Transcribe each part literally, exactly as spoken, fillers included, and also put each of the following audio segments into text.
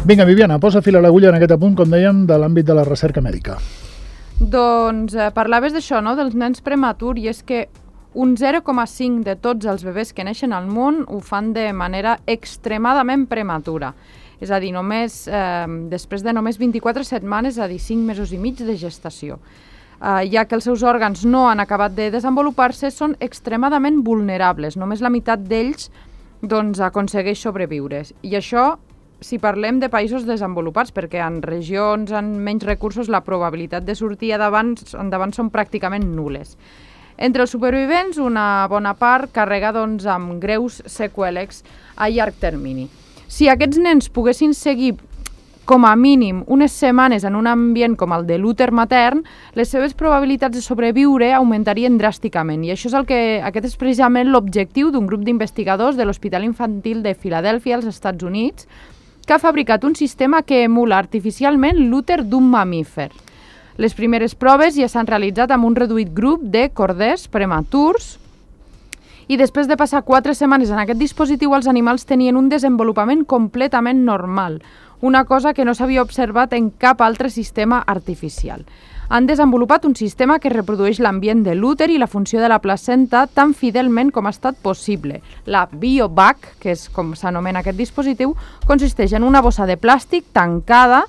Vinga, Viviana, posa fil a l'agulla en aquest apunt, com dèiem, de l'àmbit de la recerca mèdica. Doncs eh, parlaves d'això, no?, dels nens prematurs, i és que un zero coma cinc de tots els bebès que neixen al món ho fan de manera extremadament prematura. És a dir, només, eh, després de només vint-i-quatre setmanes, és a dir, cinc mesos i mig de gestació. Eh, ja que els seus òrgans no han acabat de desenvolupar-se, són extremadament vulnerables. Només la meitat d'ells doncs, aconsegueix sobreviure. I això, si parlem de països desenvolupats, perquè en regions amb menys recursos la probabilitat de sortir endavant, endavant són pràcticament nules. Entre els supervivents, una bona part carrega doncs, amb greus seqüeles a llarg termini. Si aquests nens poguessin seguir com a mínim unes setmanes en un ambient com el de l'úter matern, les seves probabilitats de sobreviure augmentarien dràsticament. I això és el que, aquest és precisament l'objectiu d'un grup d'investigadors de l'Hospital Infantil de Filadèlfia, als Estats Units, que ha fabricat un sistema que emula artificialment l'úter d'un mamífer. Les primeres proves ja s'han realitzat amb un reduït grup de corders prematurs i després de passar quatre setmanes en aquest dispositiu els animals tenien un desenvolupament completament normal, una cosa que no s'havia observat en cap altre sistema artificial. Han desenvolupat un sistema que reprodueix l'ambient de l'úter i la funció de la placenta tan fidelment com ha estat possible. La BioVac, que és com s'anomena aquest dispositiu, consisteix en una bossa de plàstic tancada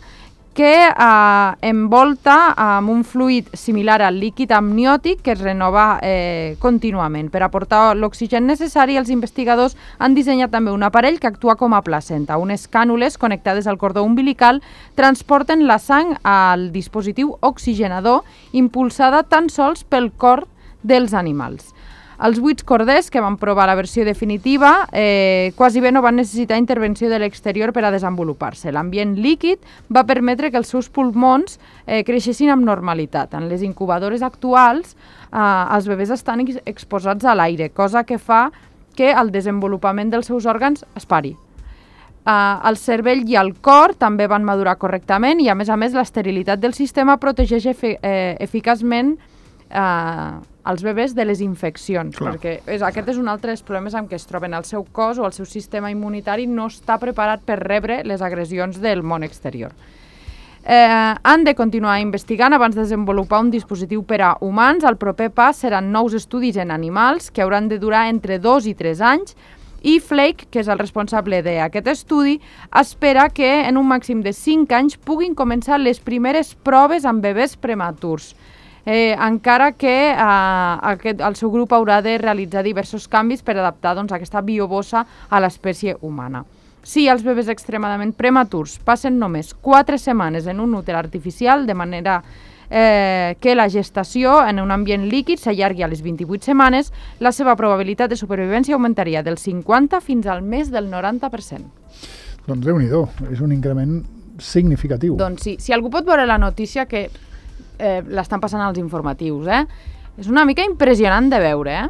que eh, envolta amb un fluid similar al líquid amniòtic que es renova eh, contínuament. Per aportar l'oxigen necessari, els investigadors han dissenyat també un aparell que actua com a placenta. Unes cànules connectades al cordó umbilical transporten la sang al dispositiu oxigenador impulsada tan sols pel cor dels animals. Els vuit corders que van provar la versió definitiva eh, quasi bé no van necessitar intervenció de l'exterior per a desenvolupar-se. L'ambient líquid va permetre que els seus pulmons eh, creixessin amb normalitat. En les incubadores actuals, eh, els bebès estan ex exposats a l'aire, cosa que fa que el desenvolupament dels seus òrgans es pari. Eh, el cervell i el cor també van madurar correctament i, a més a més, l'esterilitat del sistema protegeix efi eh, eficaçment eh, els bebès de les infeccions, Clar. perquè és, aquest és un altre dels problemes amb què es troben. El seu cos o el seu sistema immunitari no està preparat per rebre les agressions del món exterior. Eh, han de continuar investigant abans de desenvolupar un dispositiu per a humans. El proper pas seran nous estudis en animals que hauran de durar entre dos i tres anys i Flake, que és el responsable d'aquest estudi, espera que en un màxim de cinc anys puguin començar les primeres proves amb bebès prematurs. Eh, encara que eh, aquest, el seu grup haurà de realitzar diversos canvis per adaptar doncs, aquesta biobossa a l'espècie humana. Si els bebès extremadament prematurs passen només quatre setmanes en un úter artificial, de manera eh, que la gestació en un ambient líquid s'allargui a les vint-i-vuit setmanes, la seva probabilitat de supervivència augmentaria del cinquanta fins al més del noranta per cent. Doncs Déu-n'hi-do, és un increment significatiu. Doncs sí, si algú pot veure la notícia que Eh, l'estan passant als informatius, eh? És una mica impressionant de veure, eh?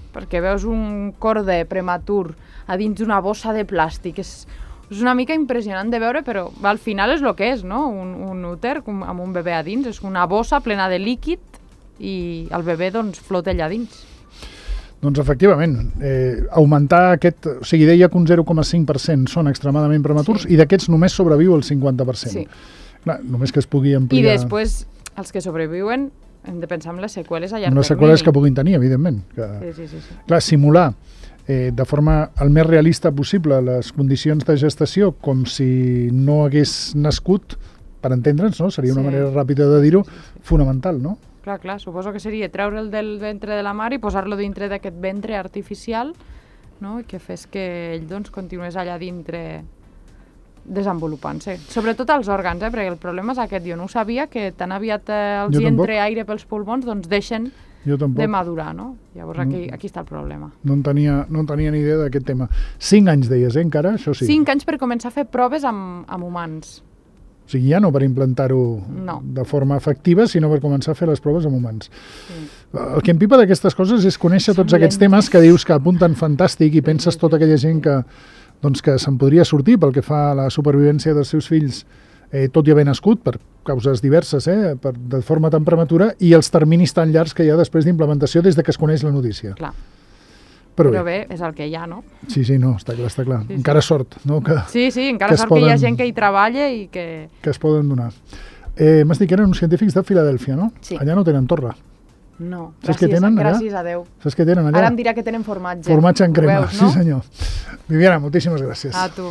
Perquè veus un corder prematur a dins d'una bossa de plàstic. És, és una mica impressionant de veure, però al final és el que és, no? Un, un úter amb un bebè a dins. És una bossa plena de líquid i el bebè doncs, flota allà dins. Doncs efectivament, eh, augmentar aquest... O sigui, deia que un zero coma cinc per cent són extremadament prematurs sí. i d'aquests només sobreviu el cinquanta per cent. Sí. Clar, només que es pugui ampliar... I després... Els que sobreviuen hem de pensar en les seqüeles a llarg termini. Les seqüeles que puguin tenir, evidentment. Que, sí, sí, sí, sí. Clar, simular eh, de forma el més realista possible les condicions de gestació com si no hagués nascut, per entendre'ns, no? Seria una sí. manera ràpida de dir-ho, sí, sí. fonamental, no? Clar, clar, suposo que seria treure'l del ventre de la mare i posar-lo dintre d'aquest ventre artificial, no? I que fes que ell doncs, continués allà dintre desenvolupant-se. Sobretot els òrgans, eh? Perquè el problema és aquest. Jo no ho sabia, que tan aviat eh, els hi entre aire pels pulmons, doncs deixen de madurar, no? Llavors aquí, aquí està el problema. No en tenia, no en tenia ni idea d'aquest tema. Cinc anys, deies, eh, encara? Això sí. Cinc anys per començar a fer proves amb, amb humans. O sigui, ja no per implantar-ho no. de forma efectiva, sinó per començar a fer les proves amb humans. Sí. El que em pipa d'aquestes coses és conèixer tots aquests temes que dius que apunten fantàstic i penses tota aquella gent que doncs que se'n podria sortir pel que fa a la supervivència dels seus fills, eh, tot i haver nascut, per causes diverses, eh, per, de forma tan prematura, i els terminis tan llargs que hi ha després d'implementació des de que es coneix la notícia. Clar. Però, Però bé, és el que hi ha, no? Sí, sí, no, està clar, està clar. Sí, sí. Encara sort, no? Que, Sí, sí, encara que sort poden, que hi ha gent que hi treballa i que... Que es poden donar. Eh, M'has dit que eren uns científics de Filadèlfia, no? Sí. Allà no tenen torre. No, Saps gràcies, què tenen allà? gràcies a Déu. Saps què tenen allà? Ara em dirà que tenen formatge. Formatge en Ho crema, veus, no? sí senyor. Viviana, moltíssimes gràcies. A tu.